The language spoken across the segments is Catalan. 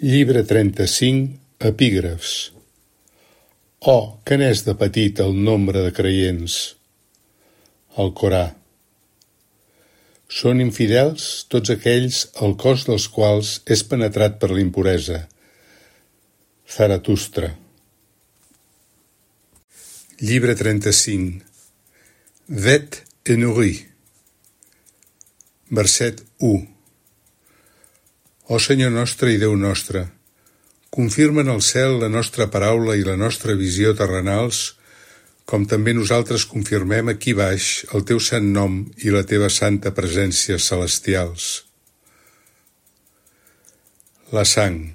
Llibre 35, epígrafs. Oh, que n'és de petit el nombre de creients! Alcorà. Són infidels tots aquells el cos dels quals és penetrat per l'impuresa. Zaratustra. Llibre 35. Vet et nourris. Verset 1. Ó Senyor nostre i Déu nostre, confirma en el cel la nostra paraula i la nostra visió terrenals, com també nosaltres confirmem aquí baix el teu sant nom i la teva santa presència celestials. La sang.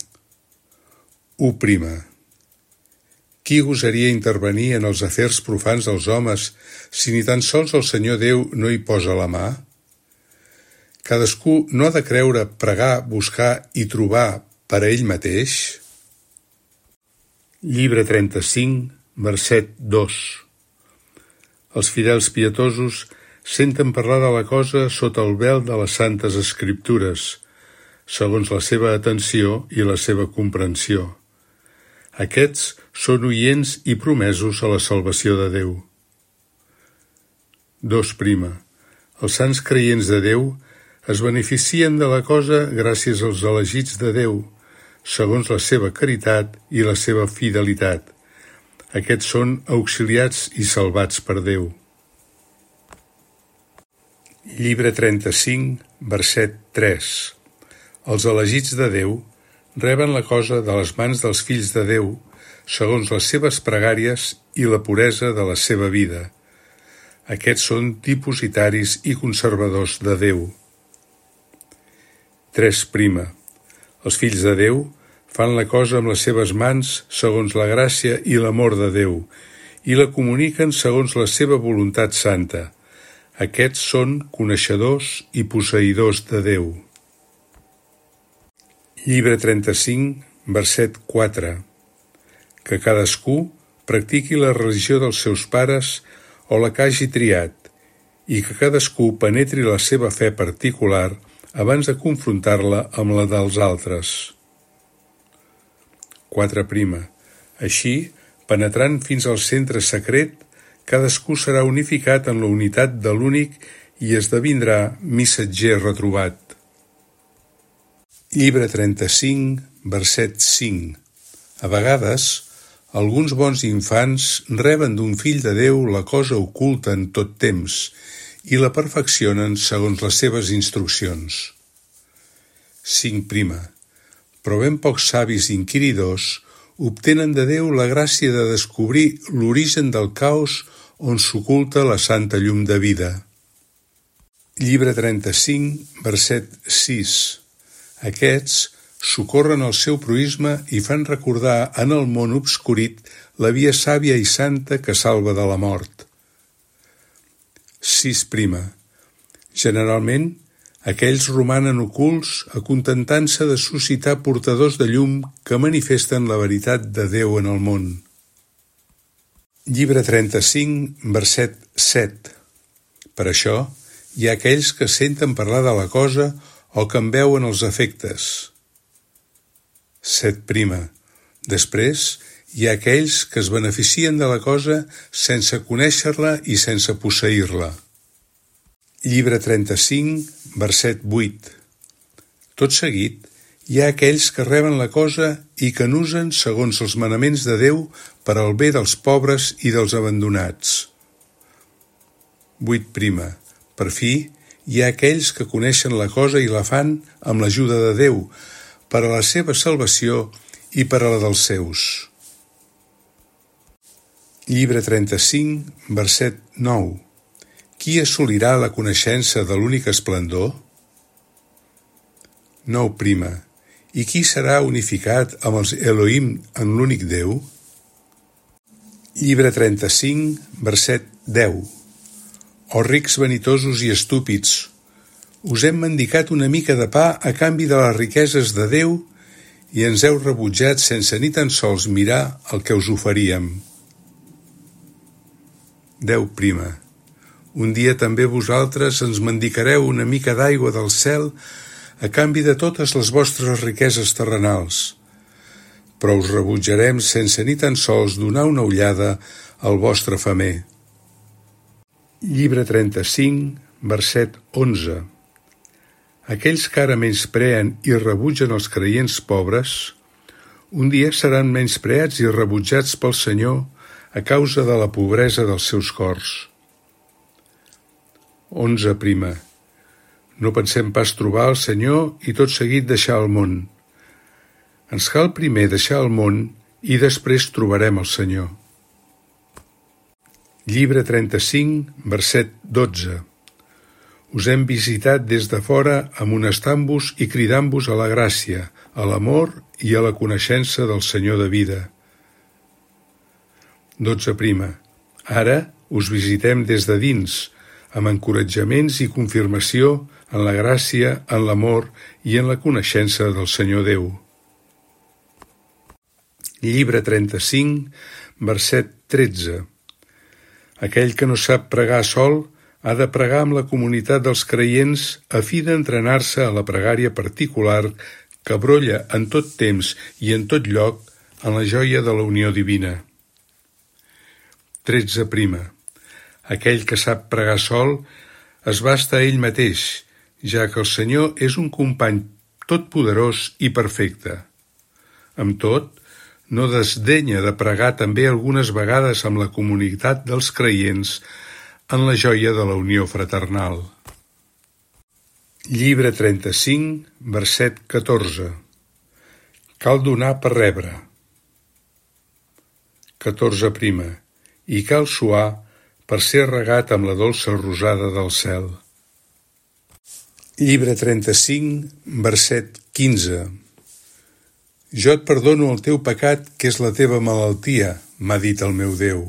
1. Qui gosaria intervenir en els afers profans dels homes si ni tan sols el Senyor Déu no hi posa la mà? Cadascú no ha de creure, pregar, buscar i trobar per a ell mateix? Llibre 35, verset 2. Els fidels pietosos senten parlar de la cosa sota el vel de les santes escriptures, segons la seva atenció i la seva comprensió. Aquests són oients i promesos a la salvació de Déu. 2. Els sants creients de Déu es beneficien de la cosa gràcies als elegits de Déu, segons la seva caritat i la seva fidelitat. Aquests són auxiliats i salvats per Déu. Llibre 35, verset 3. Els elegits de Déu reben la cosa de les mans dels fills de Déu, segons les seves pregàries i la puresa de la seva vida. Aquests són dipositaris i conservadors de Déu. 3. Els fills de Déu fan la cosa amb les seves mans segons la gràcia i l'amor de Déu i la comuniquen segons la seva voluntat santa. Aquests són coneixedors i posseïdors de Déu. Llibre 35, verset 4. Que cadascú practiqui la religió dels seus pares o la que hagi triat i que cadascú penetri la seva fe particular abans de confrontar-la amb la dels altres. 4. Així, penetrant fins al centre secret, cadascú serà unificat en la unitat de l'únic i esdevindrà missatger retrobat. Llibre 35, verset 5. A vegades, alguns bons infants reben d'un fill de Déu la cosa oculta en tot temps i la perfeccionen segons les seves instruccions. 5. Però ben pocs savis inquiridors obtenen de Déu la gràcia de descobrir l'origen del caos on s'oculta la santa llum de vida. Llibre 35, verset 6. Aquests socorren el seu proïsme i fan recordar en el món obscurit la via sàvia i santa que salva de la mort. 6. Generalment, aquells romanen ocults acontentant-se de suscitar portadors de llum que manifesten la veritat de Déu en el món. Llibre 35, verset 7. Per això, hi ha aquells que senten parlar de la cosa o que en veuen els efectes. 7. Després, hi ha aquells que es beneficien de la cosa sense conèixer-la i sense posseir-la. Llibre 35, verset 8. Tot seguit, hi ha aquells que reben la cosa i que n'usen segons els manaments de Déu per al bé dels pobres i dels abandonats. 8. Per fi, hi ha aquells que coneixen la cosa i la fan amb l'ajuda de Déu, per a la seva salvació i per a la dels seus. Llibre 35, verset 9. Qui assolirà la coneixença de l'únic esplendor? 9. I qui serà unificat amb els Elohim en l'únic Déu? Llibre 35, verset 10. Oh rics vanitosos i estúpids, us hem mendicat una mica de pa a canvi de les riqueses de Déu i ens heu rebutjat sense ni tan sols mirar el que us oferíem. 10. Un dia també vosaltres ens mendicareu una mica d'aigua del cel a canvi de totes les vostres riqueses terrenals. però us rebutjarem sense ni tan sols donar una ullada al vostre femer. Llibre 35, verset 11. Aquells que ara menyspreen i rebutgen els creients pobres, un dia seran menyspreats i rebutjats pel Senyor a causa de la pobresa dels seus cors. 11. No pensem pas trobar el Senyor i tot seguit deixar el món. Ens cal primer deixar el món i després trobarem el Senyor. Llibre 35, verset 12. Us hem visitat des de fora amonestant-vos i cridant-vos a la gràcia, a l'amor i a la coneixença del Senyor de vida. 12. Ara us visitem des de dins, amb encoratjaments i confirmació en la gràcia, en l'amor i en la coneixença del Senyor Déu. Llibre 35, verset 13. Aquell que no sap pregar sol ha de pregar amb la comunitat dels creients a fi d'entrenar-se a la pregària particular que brolla en tot temps i en tot lloc en la joia de la unió divina. 13. Aquell que sap pregar sol es basta a ell mateix, ja que el Senyor és un company totpoderós i perfecte. Amb tot, no desdenya de pregar també algunes vegades amb la comunitat dels creients en la joia de la unió fraternal. Llibre 35, verset 14. Cal donar per rebre. 14. I cal suar per ser regat amb la dolça rosada del cel. Llibre 35, verset 15. Jo et perdono el teu pecat, que és la teva malaltia, m'ha dit el meu Déu,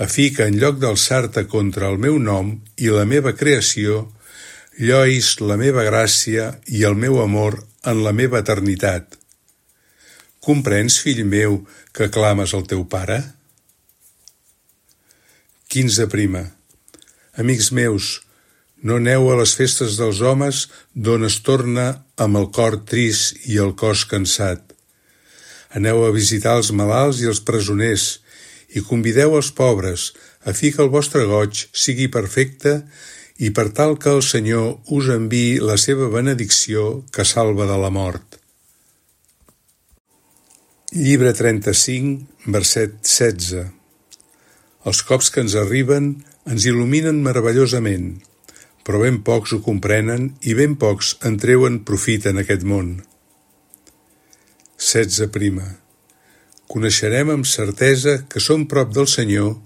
a fi que en lloc d'alçar-te contra el meu nom i la meva creació, llois la meva gràcia i el meu amor en la meva eternitat. Comprens, fill meu, que clames al teu pare? 15. Amics meus, no aneu a les festes dels homes d'on es torna amb el cor trist i el cos cansat. Aneu a visitar els malalts i els presoners i convideu els pobres a fi que el vostre goig sigui perfecte i per tal que el Senyor us enviï la seva benedicció que salva de la mort. Llibre 35, verset 16. Els cops que ens arriben ens il·luminen meravellosament, però ben pocs ho comprenen i ben pocs en treuen profit en aquest món. 16. Coneixerem amb certesa que som prop del Senyor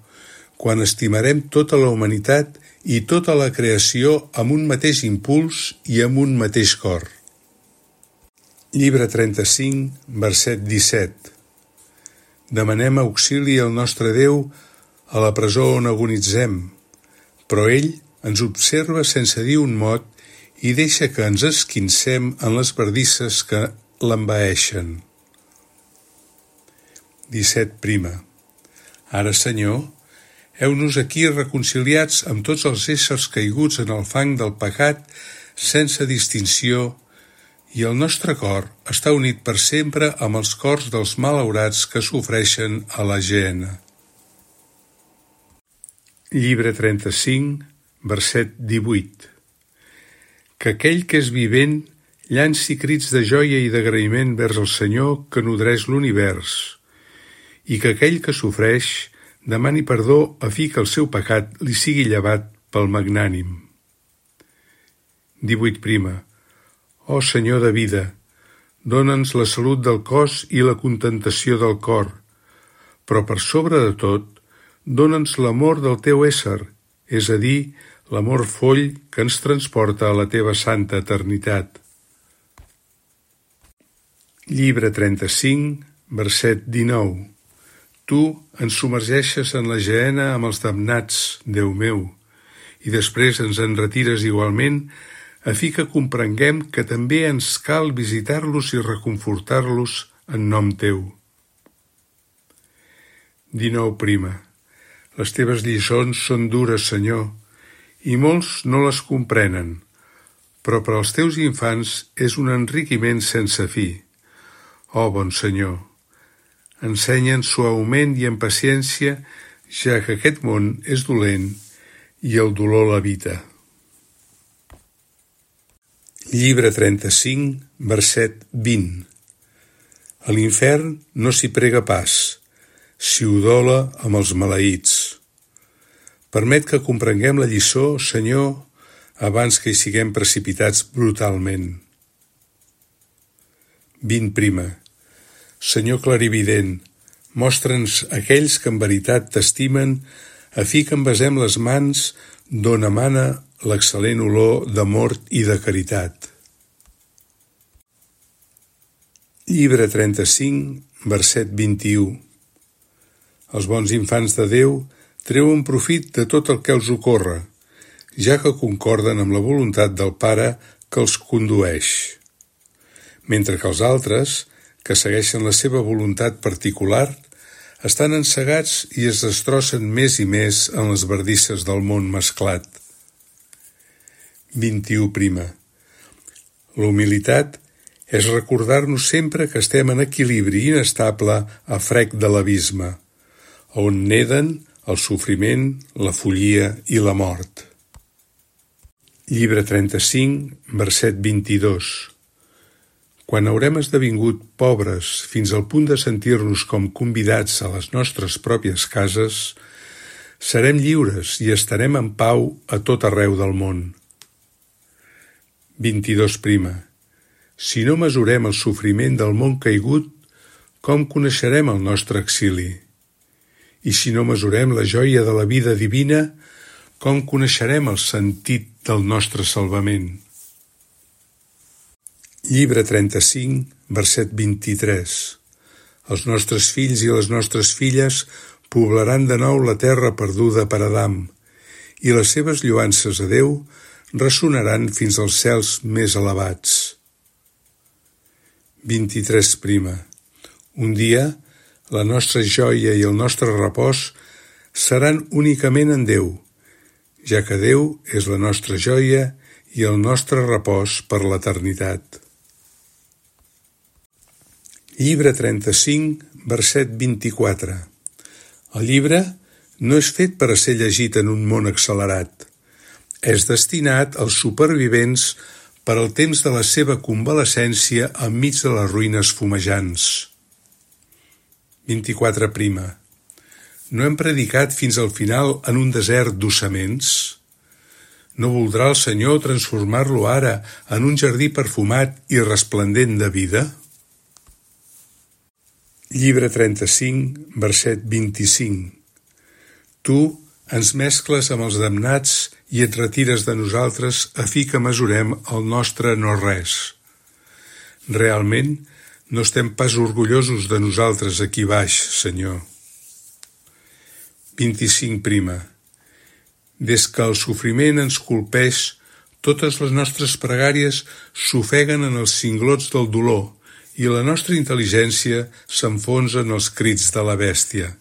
quan estimarem tota la humanitat i tota la creació amb un mateix impuls i amb un mateix cor. Llibre 35, verset 17. Demanem auxili al nostre Déu a la presó on agonitzem, però ell ens observa sense dir un mot i deixa que ens esquincem en les bardisses que l'envaeixen. 17. Ara, Senyor, heu-nos aquí reconciliats amb tots els éssers caiguts en el fang del pecat sense distinció i el nostre cor està unit per sempre amb els cors dels malaurats que sofreixen a la gehenna. Llibre 35, verset 18. Que aquell que és vivent llanci crits de joia i d'agraïment vers el Senyor que nodreix l'univers, i que aquell que sofreix demani perdó a fi que el seu pecat li sigui llevat pel magnànim. 18. Ó Senyor de vida, dóna'ns la salut del cos i la contentació del cor, però per sobre de tot, dóna'ns l'amor del teu ésser, és a dir, l'amor foll que ens transporta a la teva santa eternitat. Llibre 35, verset 19. Tu ens submergeixes en la gehenna amb els damnats, Déu meu, i després ens en retires igualment a fi que comprenguem que també ens cal visitar-los i reconfortar-los en nom teu. 19. Les teves lliçons són dures, Senyor, i molts no les comprenen, però per als teus infants és un enriquiment sense fi. Ó, bon Senyor, ensenyen suaument i amb paciència, ja que aquest món és dolent i el dolor l'habita. Llibre 35, verset 20. A l'infern no s'hi prega pas, s'hi udola amb els maleïts. Permet que comprenguem la lliçó, Senyor, abans que hi siguem precipitats brutalment. 20. Senyor clarivident, mostra'ns aquells que en veritat t'estimen, a fi que envasem les mans d'on emana l'excel·lent olor d'amor i de caritat. Llibre 35, verset 21. Els bons infants de Déu treuen profit de tot el que els ocorre, ja que concorden amb la voluntat del Pare que els condueix, mentre que els altres, que segueixen la seva voluntat particular, estan encegats i es destrossen més i més en les bardisses del món mesclat. 21. La humilitat és recordar-nos sempre que estem en equilibri inestable a frec de l'abisme, on neden el sofriment, la follia i la mort. Llibre 35, verset 22. Quan haurem esdevingut pobres fins al punt de sentir-nos com convidats a les nostres pròpies cases, serem lliures i estarem en pau a tot arreu del món. 22. Si no mesurem el sofriment del món caigut, com coneixerem el nostre exili? I si no mesurem la joia de la vida divina, com coneixerem el sentit del nostre salvament? Llibre 35, verset 23. Els nostres fills i les nostres filles poblaran de nou la terra perduda per Adam, i les seves lloances a Déu ressonaran fins als cels més elevats. 23. Un dia, la nostra joia i el nostre repòs seran únicament en Déu, ja que Déu és la nostra joia i el nostre repòs per l'eternitat. Llibre 35, verset 24. El llibre no és fet per a ser llegit en un món accelerat. És destinat als supervivents per al temps de la seva convalescència enmig de les ruïnes fumejants. 24. No hem predicat fins al final en un desert d'ossaments? No voldrà el Senyor transformar-lo ara en un jardí perfumat i resplendent de vida? Llibre 35, verset 25. Tu ens mescles amb els damnats i et retires de nosaltres a fi que mesurem el nostre no-res. Realment, no estem pas orgullosos de nosaltres aquí baix, Senyor. 25. Des que el sofriment ens colpeix, totes les nostres pregàries s'ofeguen en els cinglots del dolor i la nostra intel·ligència s'enfonsa en els crits de la bèstia.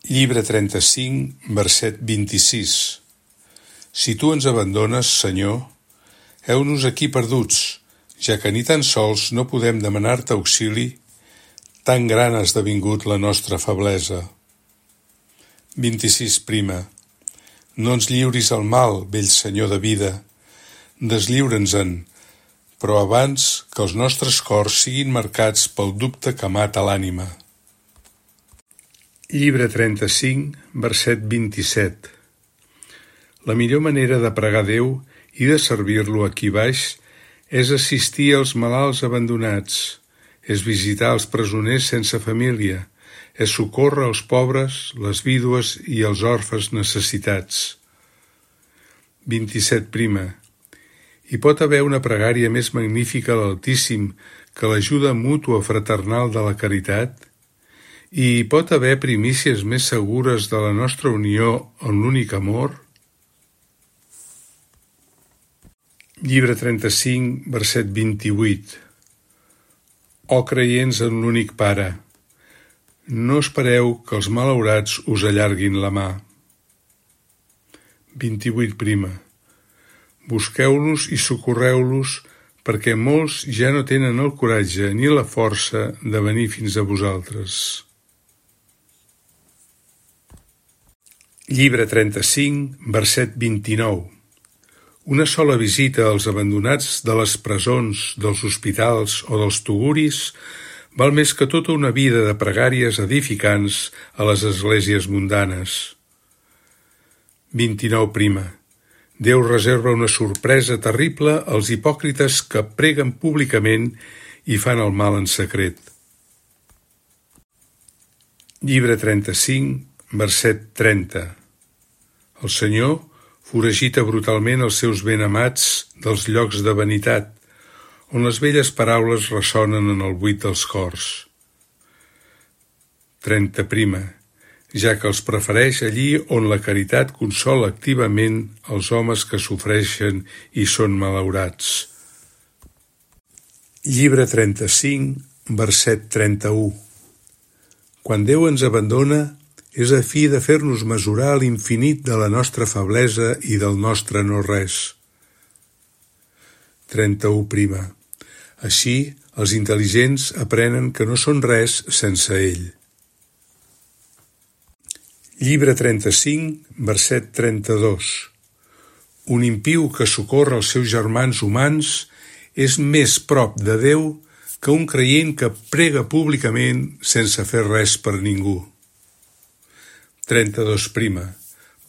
Llibre 35, verset 26. Si tu ens abandones, Senyor, heu-nos aquí perduts, ja que ni tan sols no podem demanar-te auxili, tan gran ha esdevingut la nostra feblesa. 26. No ens lliuris al mal, vell Senyor de vida, deslliure'ns-en, però abans que els nostres cors siguin marcats pel dubte que mata l'ànima. Llibre 35, verset 27. La millor manera de pregar Déu i de servir-lo aquí baix és assistir als malalts abandonats, és visitar els presoners sense família, és socórrer els pobres, les vídues i els orfes necessitats. 27. Hi pot haver una pregària més magnífica a l'Altíssim que l'ajuda mútua fraternal de la caritat? I hi pot haver primícies més segures de la nostra unió en l'únic amor? Llibre 35, verset 28. Ó creients en l'únic Pare, no espereu que els malaurats us allarguin la mà. 28. Busqueu-los i socorreu-los perquè molts ja no tenen el coratge ni la força de venir fins a vosaltres. Llibre 35, verset 29. Una sola visita als abandonats de les presons, dels hospitals o dels tuguris val més que tota una vida de pregàries edificants a les esglésies mundanes. 29 prima. Déu reserva una sorpresa terrible als hipòcrites que preguen públicament i fan el mal en secret. Llibre 35, verset 30. El Senyor foragita brutalment els seus benamats dels llocs de vanitat, on les velles paraules ressonen en el buit dels cors. 30 prima. Ja que els prefereix allí on la caritat consola activament els homes que sofreixen i són malaurats. Llibre 35, verset 31. Quan Déu ens abandona, és a fi de fer-nos mesurar l'infinit de la nostra feblesa i del nostre no-res. 31 prima. Així, els intel·ligents aprenen que no són res sense ell. Llibre 35, verset 32. Un impiu que socorre els seus germans humans és més prop de Déu que un creient que prega públicament sense fer res per ningú. 32 prima.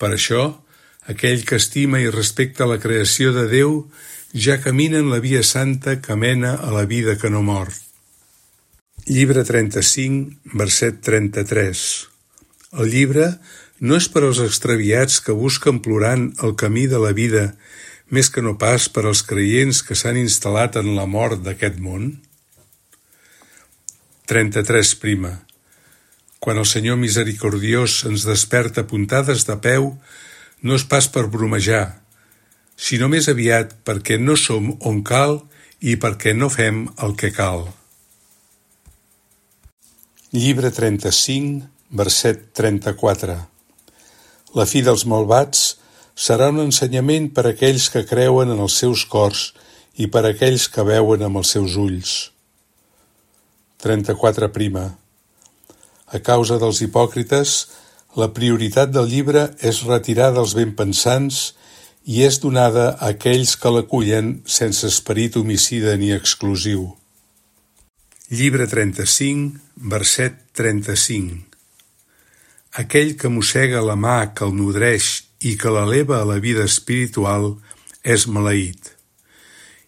Per això, aquell que estima i respecta la creació de Déu ja camina en la via santa que mena a la vida que no mor. Llibre 35, verset 33. El llibre no és per als extraviats que busquen plorant el camí de la vida, més que no pas per als creients que s'han instal·lat en la mort d'aquest món? 33 prima. Quan el Senyor misericordiós ens desperta puntades de peu, no és pas per bromejar, sinó més aviat perquè no som on cal i perquè no fem el que cal. Llibre 35, verset 34. La fi dels malvats serà un ensenyament per a aquells que creuen en els seus cors i per a aquells que veuen amb els seus ulls. 34 prima. A causa dels hipòcrites, la prioritat del llibre és retirar dels benpensants i és donada a aquells que l'acullen sense esperit homicida ni exclusiu. Llibre 35, verset 35. Aquell que mossega la mà que el nodreix i que l'eleva a la vida espiritual és maleït,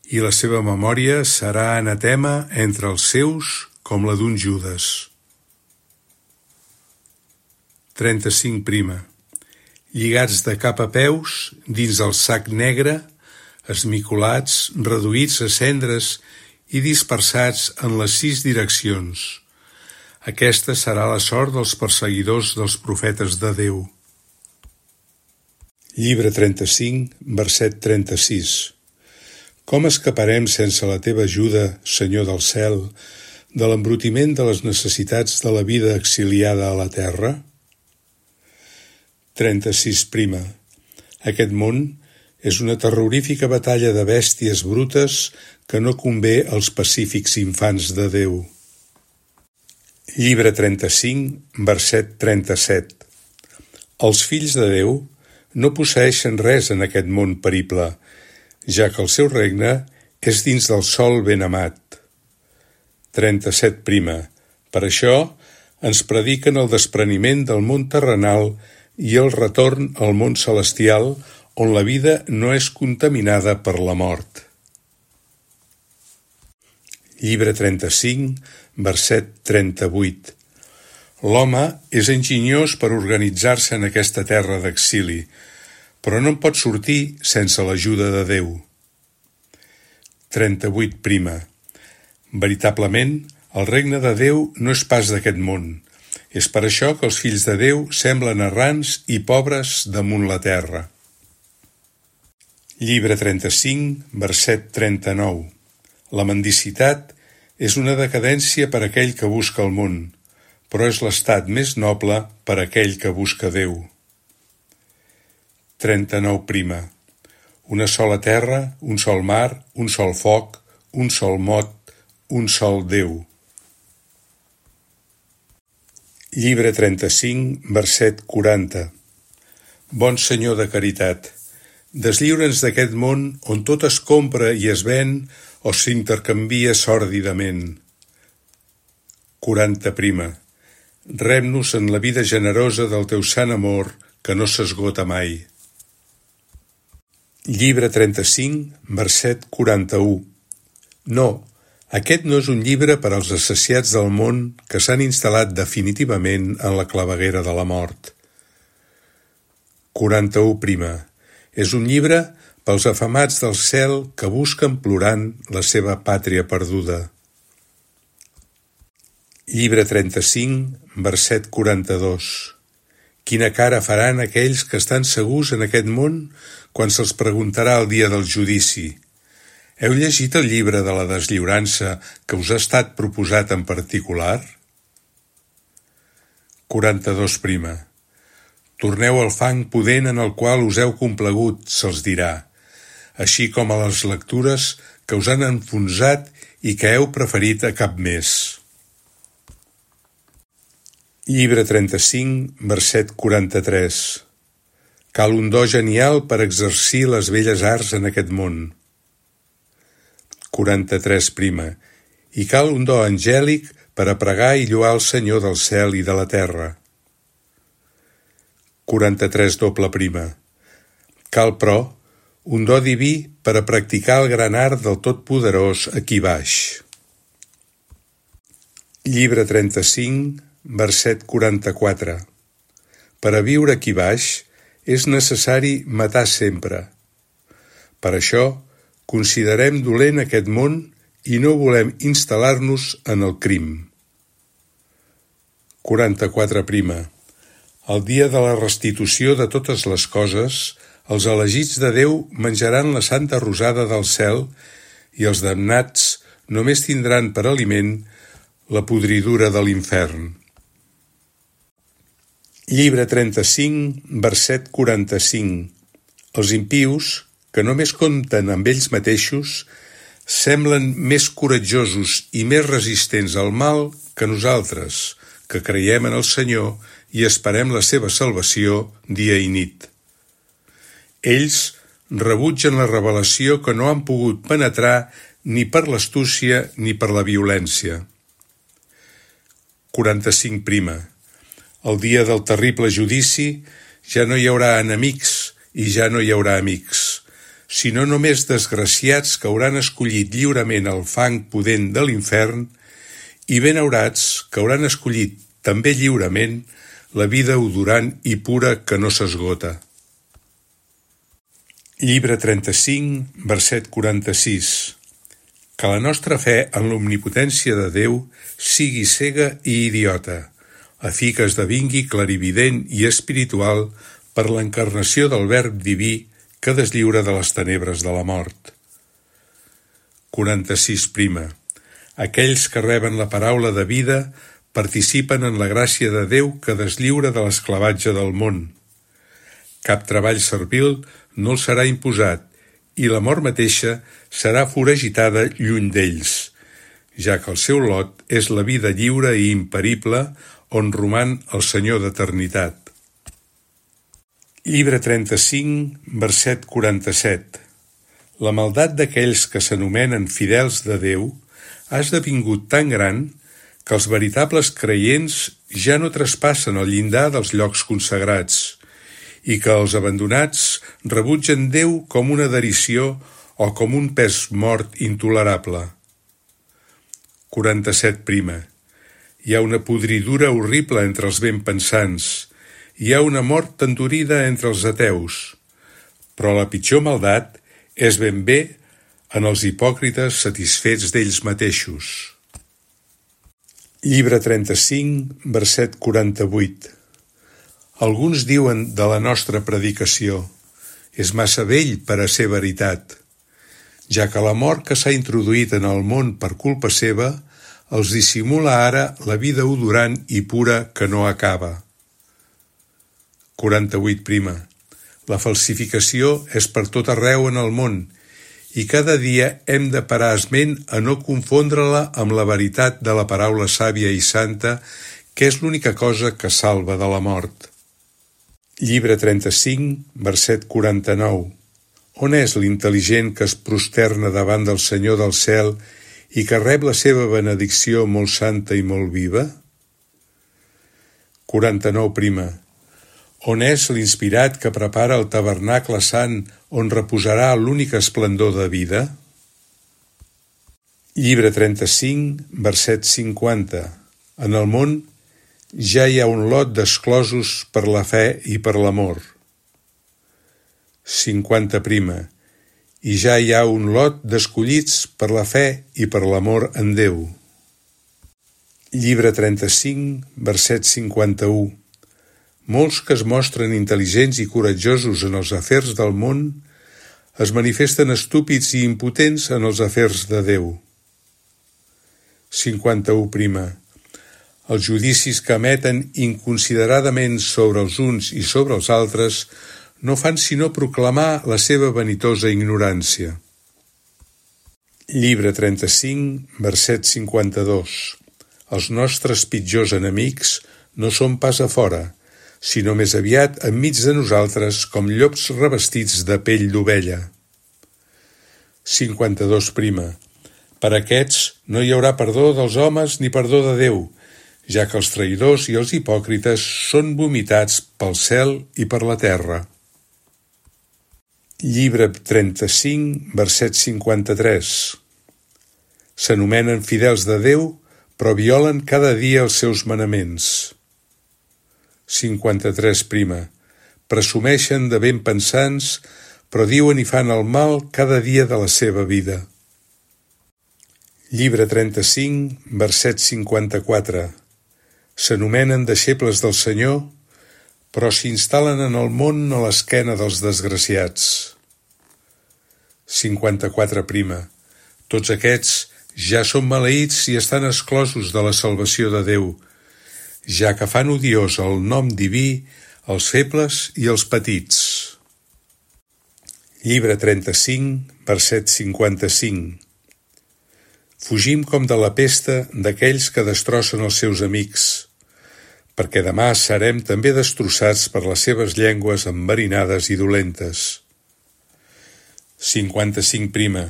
i la seva memòria serà anatema entre els seus com la d'un Judes. 35 prima. Lligats de cap a peus, dins el sac negre, esmicolats, reduïts a cendres i dispersats en les 6 direccions. Aquesta serà la sort dels perseguidors dels profetes de Déu. Llibre 35, verset 36. Com escaparem sense la teva ajuda, Senyor del cel, de l'embrutiment de les necessitats de la vida exiliada a la terra? 36 prima. Aquest món és una terrorífica batalla de bèsties brutes que no convé als pacífics infants de Déu. Llibre 35, verset 37. Els fills de Déu no posseeixen res en aquest món perible, ja que el seu regne és dins del sol ben amat. 37 prima. Per això ens prediquen el despreniment del món terrenal i el retorn al món celestial, on la vida no és contaminada per la mort. Llibre 35, verset 38. L'home és enginyós per organitzar-se en aquesta terra d'exili, però no en pot sortir sense l'ajuda de Déu. 38 prima. Veritablement, el regne de Déu no és pas d'aquest món. És per això que els fills de Déu semblen errants i pobres damunt la terra. Llibre 35, verset 39. La mendicitat és una decadència per a aquell que busca el món, però és l'estat més noble per a aquell que busca Déu. 39 prima. Una sola terra, un sol mar, un sol foc, un sol mot, un sol Déu. Llibre 35, verset 40. Bon Senyor de caritat, deslliura'ns d'aquest món on tot es compra i es ven o s'intercanvia sòrdidament. 40. Rep-nos en la vida generosa del teu sant amor que no s'esgota mai. Llibre 35, verset 41. No, aquest no és un llibre per als assaciats del món que s'han instal·lat definitivament en la claveguera de la mort. 41. És un llibre pels afamats del cel que busquen plorant la seva pàtria perduda. Llibre 35, verset 42. Quina cara faran aquells que estan segurs en aquest món quan se'ls preguntarà el dia del judici? Heu llegit el llibre de la deslliurança que us ha estat proposat en particular? 42. Torneu al fang pudent en el qual us heu complagut, se'ls dirà, així com a les lectures que us han enfonsat i que heu preferit a cap més. Llibre 35, verset 43. Cal un do genial per exercir les belles arts en aquest món. 43. I cal un do angèlic per a pregar i lloar el Senyor del cel i de la terra. 43. Cal, però, un do diví per a practicar el gran art del Totpoderós aquí baix. Llibre 35, verset 44. Per a viure aquí baix és necessari matar sempre. Per això, considerem dolent aquest món i no volem instal·lar-nos en el crim. 44. El dia de la restitució de totes les coses, els elegits de Déu menjaran la santa rosada del cel i els damnats només tindran per aliment la podridura de l'infern. Llibre 35, verset 45. Els impius, que només compten amb ells mateixos, semblen més coratjosos i més resistents al mal que nosaltres, que creiem en el Senyor i esperem la seva salvació dia i nit. Ells rebutgen la revelació que no han pogut penetrar ni per l'astúcia ni per la violència. 45. El dia del terrible judici ja no hi haurà enemics i ja no hi haurà amics, sinó només desgraciats que hauran escollit lliurement el fang pudent de l'infern i benaurats que hauran escollit també lliurement la vida odorant i pura que no s'esgota. Llibre 35, verset 46. Que la nostra fe en l'omnipotència de Déu sigui cega i idiota, a fi que esdevingui clarivident i espiritual per l'encarnació del Verb diví que deslliura de les tenebres de la mort. 46. Aquells que reben la paraula de vida participen en la gràcia de Déu que deslliura de l'esclavatge del món. Cap treball servil no els serà imposat i la mort mateixa serà foragitada lluny d'ells, ja que el seu lot és la vida lliure i imperible on roman el Senyor d'eternitat. Llibre 35, verset 47. La maldat d'aquells que s'anomenen fidels de Déu ha esdevingut tan gran que els veritables creients ja no traspassen el llindar dels llocs consagrats i que els abandonats rebutgen Déu com una derisió o com un pes mort intolerable. 47. Hi ha una podridura horrible entre els ben pensants, hi ha una mort endurida entre els ateus, però la pitjor maldat és ben bé en els hipòcrites satisfets d'ells mateixos. Llibre 35, verset 48. Alguns diuen de la nostra predicació: és massa vell per a ser veritat, ja que la mort que s'ha introduït en el món per culpa seva els dissimula ara la vida odorant i pura que no acaba. 48. La falsificació és per tot arreu en el món i cada dia hem de parar esment a no confondre-la amb la veritat de la paraula sàvia i santa, que és l'única cosa que salva de la mort. Llibre 35, verset 49. On és l'intel·ligent que es prosterna davant del Senyor del cel i que rep la seva benedicció molt santa i molt viva? 49. On és l'inspirat que prepara el tabernacle sant on reposarà l'únic esplendor de vida? Llibre 35, verset 50. En el món ja hi ha un lot d'exclosos per la fe i per l'amor. 50. I ja hi ha un lot d'escollits per la fe i per l'amor en Déu. Llibre 35, verset 51. Molts que es mostren intel·ligents i coratjosos en els afers del món es manifesten estúpids i impotents en els afers de Déu. 51. Els judicis que emeten inconsideradament sobre els uns i sobre els altres no fan sinó proclamar la seva vanitosa ignorància. Llibre 35, verset 52. Els nostres pitjors enemics no són pas a fora, sinó més aviat enmig de nosaltres com llops revestits de pell d'ovella. 52. Per aquests no hi haurà perdó dels homes ni perdó de Déu, ja que els traïdors i els hipòcrites són vomitats pel cel i per la terra. Llibre 35, verset 53. S'anomenen fidels de Déu, però violen cada dia els seus manaments. 53. Presumeixen de ben pensants, però diuen i fan el mal cada dia de la seva vida. Llibre 35, verset 54. S'anomenen deixebles del Senyor, però s'instal·len en el món a l'esquena dels desgraciats. 54. Tots aquests ja són maleïts i estan exclosos de la salvació de Déu, ja que fan odiós el nom diví, els febles i els petits. Llibre 35, verset 55. Fugim com de la pesta d'aquells que destrossen els seus amics, perquè demà serem també destrossats per les seves llengües enverinades i dolentes. 55.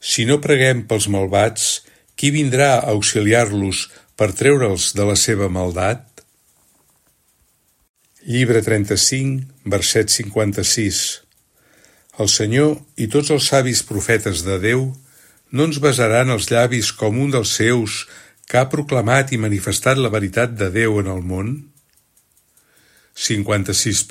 Si no preguem pels malvats, qui vindrà a auxiliar-los per treure'ls de la seva maldat? Llibre 35, verset 56. El Senyor i tots els savis profetes de Déu no ens besaran els llavis com un dels seus que ha proclamat i manifestat la veritat de Déu en el món? 56.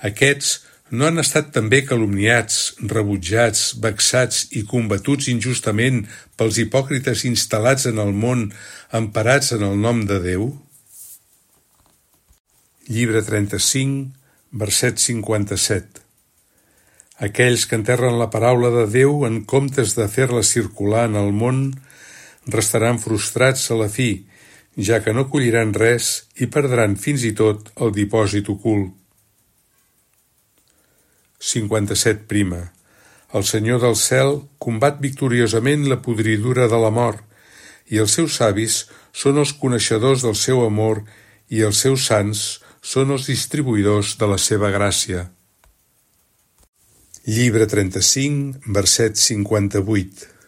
Aquests no han estat també calumniats, rebutjats, vexats i combatuts injustament pels hipòcrites instal·lats en el món, emparats en el nom de Déu? Llibre 35, verset 57. Aquells que enterren la paraula de Déu en comptes de fer-la circular en el món restaran frustrats a la fi, ja que no colliran res i perdran fins i tot el dipòsit ocult. 57. El Senyor del cel combat victoriosament la podridura de la mort, i els seus savis són els coneixedors del seu amor i els seus sants són els distribuïdors de la seva gràcia. Llibre 35, verset 58.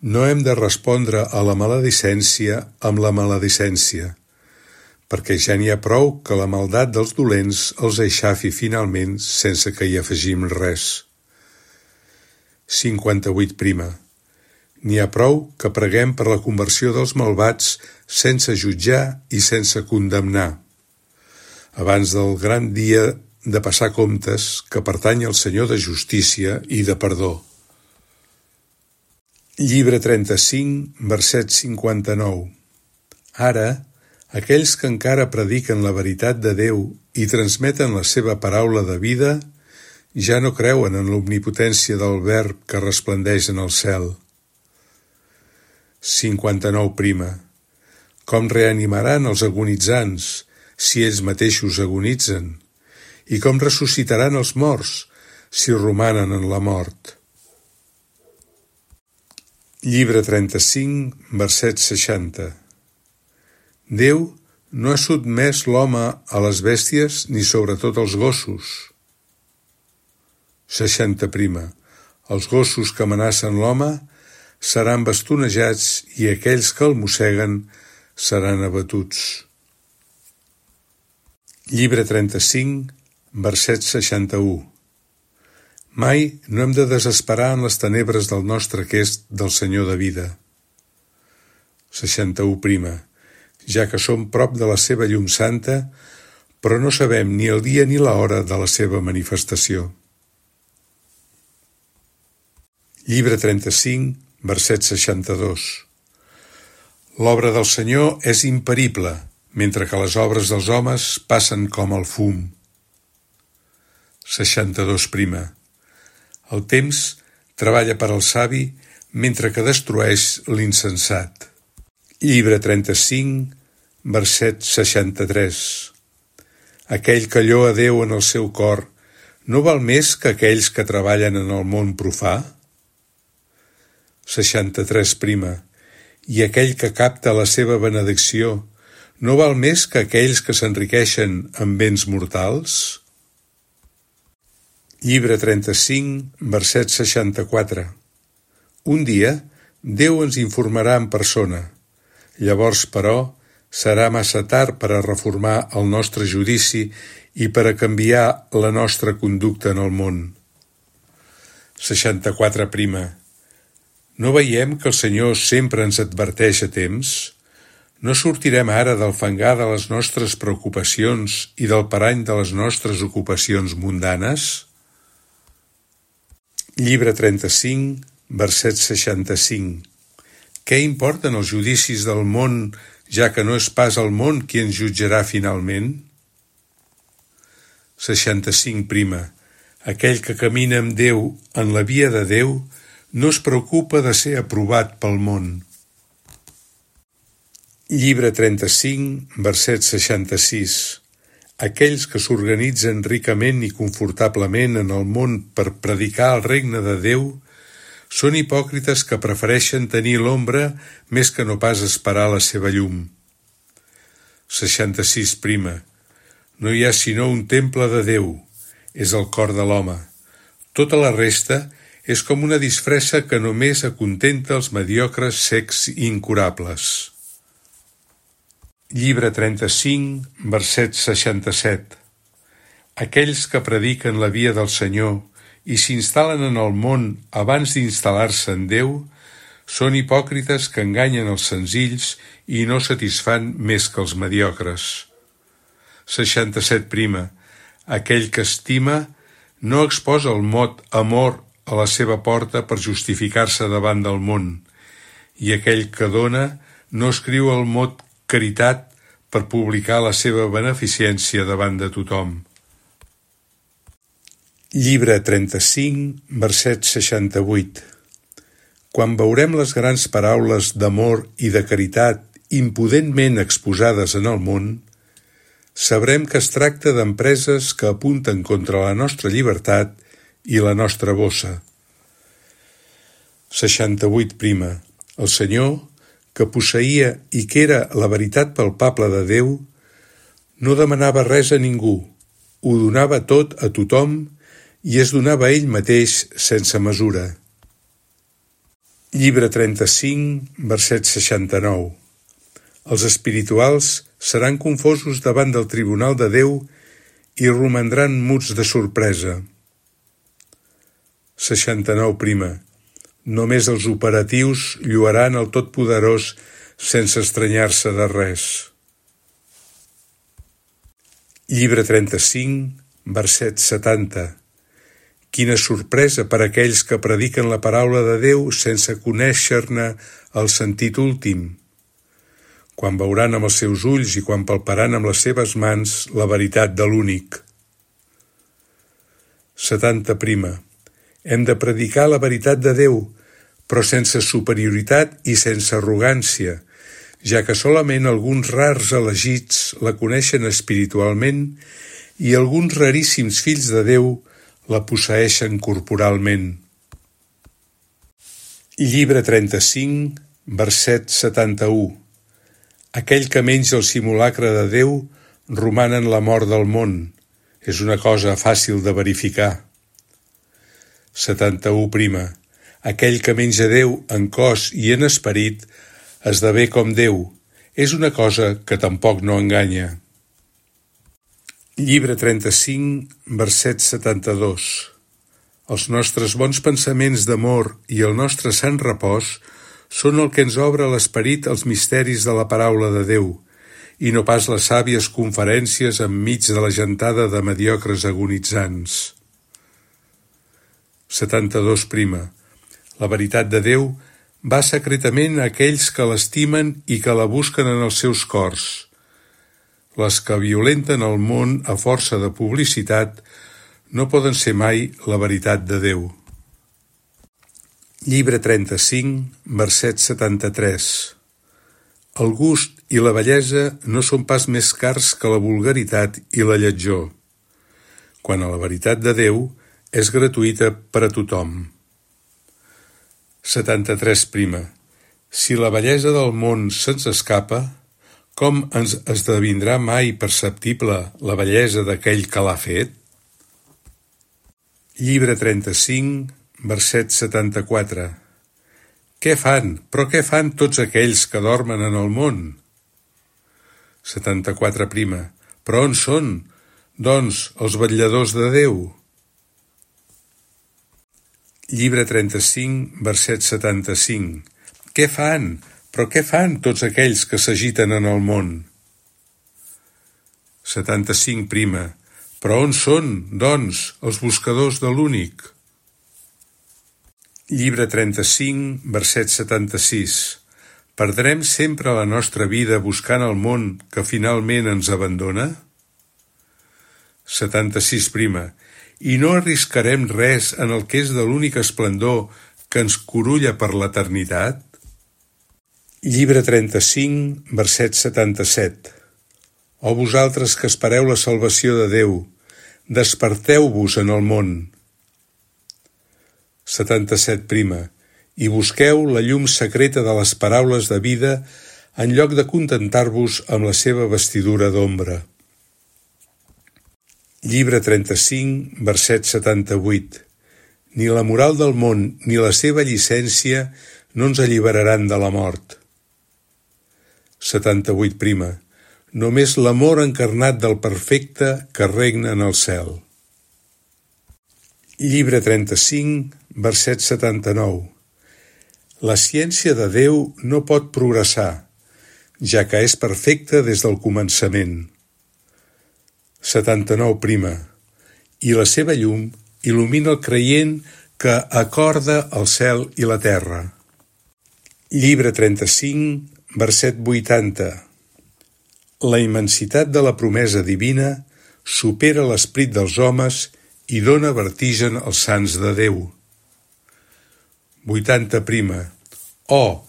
No hem de respondre a la maledicència amb la maledicència, perquè ja n'hi ha prou que la maldat dels dolents els eixafi finalment sense que hi afegim res. 58. N'hi ha prou que preguem per la conversió dels malvats sense jutjar i sense condemnar, abans del gran dia de passar comptes que pertany al Senyor de justícia i de perdó. Llibre 35, verset 59. Ara, aquells que encara prediquen la veritat de Déu i transmeten la seva paraula de vida, ja no creuen en l'omnipotència del Verb que resplendeix en el cel. 59. Com reanimaran els agonitzants si ells mateixos agonitzen? I com ressuscitaran els morts si romanen en la mort? Llibre 35, verset 60. Déu no ha sotmès l'home a les bèsties ni sobretot als gossos. 60 prima. Els gossos que amenacen l'home seran bastonejats i aquells que el mosseguen seran abatuts. Llibre 35, verset 61. Mai no hem de desesperar en les tenebres del nostre aquest del Senyor de vida. 61 prima. Ja que som prop de la seva llum santa, però no sabem ni el dia ni l'hora de la seva manifestació. Llibre 35, verset 62. L'obra del Senyor és imperible, mentre que les obres dels homes passen com el fum. 62 prima. El temps treballa per al savi mentre que destrueix l'insensat. Llibre 35, verset 63. Aquell que lloa Déu en el seu cor no val més que aquells que treballen en el món profà? 63 prima. I aquell que capta la seva benedicció no val més que aquells que s'enriqueixen amb béns mortals? Llibre 35, verset 64. Un dia, Déu ens informarà en persona. Llavors, però, serà massa tard per a reformar el nostre judici i per a canviar la nostra conducta en el món. 64 prima. No veiem que el Senyor sempre ens adverteix a temps? No sortirem ara del fangar de les nostres preocupacions i del parany de les nostres ocupacions mundanes? Llibre 35, verset 65. Què importen els judicis del món, ja que no és pas el món qui ens jutjarà finalment? 65 prima. Aquell que camina amb Déu en la via de Déu no es preocupa de ser aprovat pel món. Llibre 35, verset 66. Aquells que s'organitzen ricament i confortablement en el món per predicar el regne de Déu són hipòcrites que prefereixen tenir l'ombra més que no pas esperar la seva llum. 66 prima. No hi ha sinó un temple de Déu, és el cor de l'home. Tota la resta és com una disfressa que només acontenta els mediocres, secs i incurables. Llibre 35, verset 67. Aquells que prediquen la via del Senyor i s'instal·len en el món abans d'instal·lar-se en Déu són hipòcrites que enganyen els senzills i no satisfan més que els mediocres. 67 prima. Aquell que estima no exposa el mot amor a la seva porta per justificar-se davant del món, i aquell que dona no escriu el mot caritat per publicar la seva beneficència davant de tothom. Llibre 35, verset 68. Quan veurem les grans paraules d'amor i de caritat impudentment exposades en el món, sabrem que es tracta d'empreses que apunten contra la nostra llibertat i la nostra bossa. 68 prima. El Senyor, que posseïa i que era la veritat palpable de Déu, no demanava res a ningú, ho donava tot a tothom i es donava a ell mateix sense mesura. Llibre 35, verset 69. Els espirituals seran confosos davant del tribunal de Déu i romandran muts de sorpresa. 69 prima. Només els operatius lluaran el Totpoderós sense estranyar-se de res. Llibre 35, verset 70. Quina sorpresa per a aquells que prediquen la paraula de Déu sense conèixer-ne el sentit últim. Quan veuran amb els seus ulls i quan palparan amb les seves mans la veritat de l'únic. 70 prima. Hem de predicar la veritat de Déu, però sense superioritat i sense arrogància, ja que solament alguns rars elegits la coneixen espiritualment i alguns raríssims fills de Déu la posseeixen corporalment. Llibre 35, verset 71. Aquell que menja el simulacre de Déu roman en la mort del món. És una cosa fàcil de verificar. 71. Aquell que menja Déu en cos i en esperit esdevé com Déu. És una cosa que tampoc no enganya. Llibre 35, verset 72. Els nostres bons pensaments d'amor i el nostre sant repòs són el que ens obre l'esperit als misteris de la paraula de Déu, i no pas les sàvies conferències enmig de la gentada de mediocres agonitzants. 72. La veritat de Déu va secretament a aquells que l'estimen i que la busquen en els seus cors. Les que violenten el món a força de publicitat no poden ser mai la veritat de Déu. Llibre 35, verset 73. El gust i la bellesa no són pas més cars que la vulgaritat i la lletjor. Quant a la veritat de Déu, és gratuïta per a tothom. 73. Si la bellesa del món se'ns escapa, com ens esdevindrà mai perceptible la bellesa d'aquell que l'ha fet? Llibre 35, verset 74. Què fan? Però què fan tots aquells que dormen en el món? 74. Però on són, doncs, els vetlladors de Déu? Llibre 35, verset 75. Què fan? Però què fan tots aquells que s'agiten en el món? 75. Però on són, doncs, els buscadors de l'únic? Llibre 35, verset 76. Perdrem sempre la nostra vida buscant el món que finalment ens abandona? 76. I no arriscarem res en el que és de l'únic esplendor que ens curulla per l'eternitat? Llibre 35, verset 77. O vosaltres que espereu la salvació de Déu, desperteu-vos en el món. 77. I busqueu la llum secreta de les paraules de vida en lloc de contentar-vos amb la seva vestidura d'ombra. Llibre 35, verset 78. Ni la moral del món ni la seva llicència no ens alliberaran de la mort. 78. Només l'amor encarnat del perfecte que regna en el cel. Llibre 35, verset 79. La ciència de Déu no pot progressar, ja que és perfecta des del començament. 79. I la seva llum il·lumina el creient que acorda el cel i la terra. Llibre 35, verset 80. La immensitat de la promesa divina supera l'esperit dels homes i dóna vertigen als sants de Déu. 80. Oh,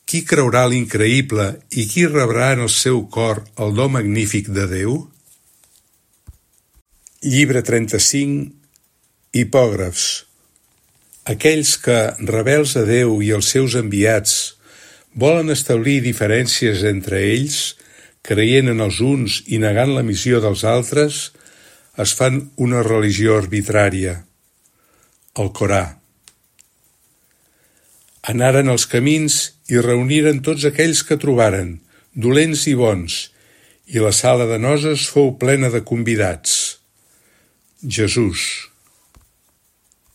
qui creurà l'increïble i qui rebrà en el seu cor el do magnífic de Déu? Llibre 35, Hipògrafs. Aquells que, rebels a Déu i els seus enviats, volen establir diferències entre ells, creient en els uns i negant la missió dels altres, es fan una religió arbitrària. El Corà. Anaren als camins i reuniren tots aquells que trobaren, dolents i bons, i la sala de noces fou plena de convidats. Jesús.